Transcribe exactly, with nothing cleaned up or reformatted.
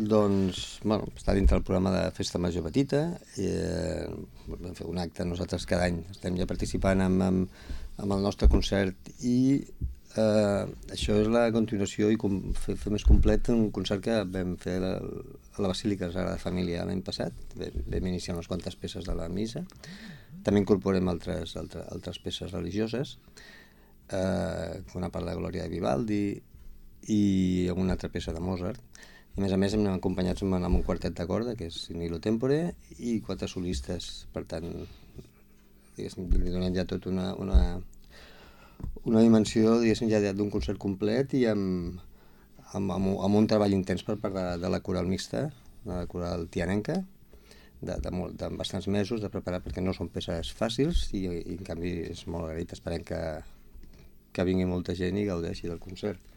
Doncs, bueno, està dintre el programa de Festa Major Petita, i, eh, vam fer un acte nosaltres cada any, estem ja participant amb, amb, amb el nostre concert i eh, això és la continuació i com, fer, fer més complet un concert que vam fer a la, a la Basílica Sagrada Família l'any passat, vam, vam iniciar unes quantes peces de la missa, també incorporem altres, altres, altres peces religioses, eh, una part de Glòria de Vivaldi i una altra peça de Mozart. I a més a més hem acompanyats amb, amb un quartet de corda, que és Nilo Tempore, i quatre solistes. Per tant, li donem ja tot una, una, una dimensió, diguéssim, ja d'un concert complet i amb, amb, amb, amb un treball intens per part de, de la coral mixta, de la coral tianenca, de, de, molt, de bastants mesos de preparar, perquè no són peces fàcils i, i en canvi és molt agraït. Esperem que, que vingui molta gent i gaudeixi del concert.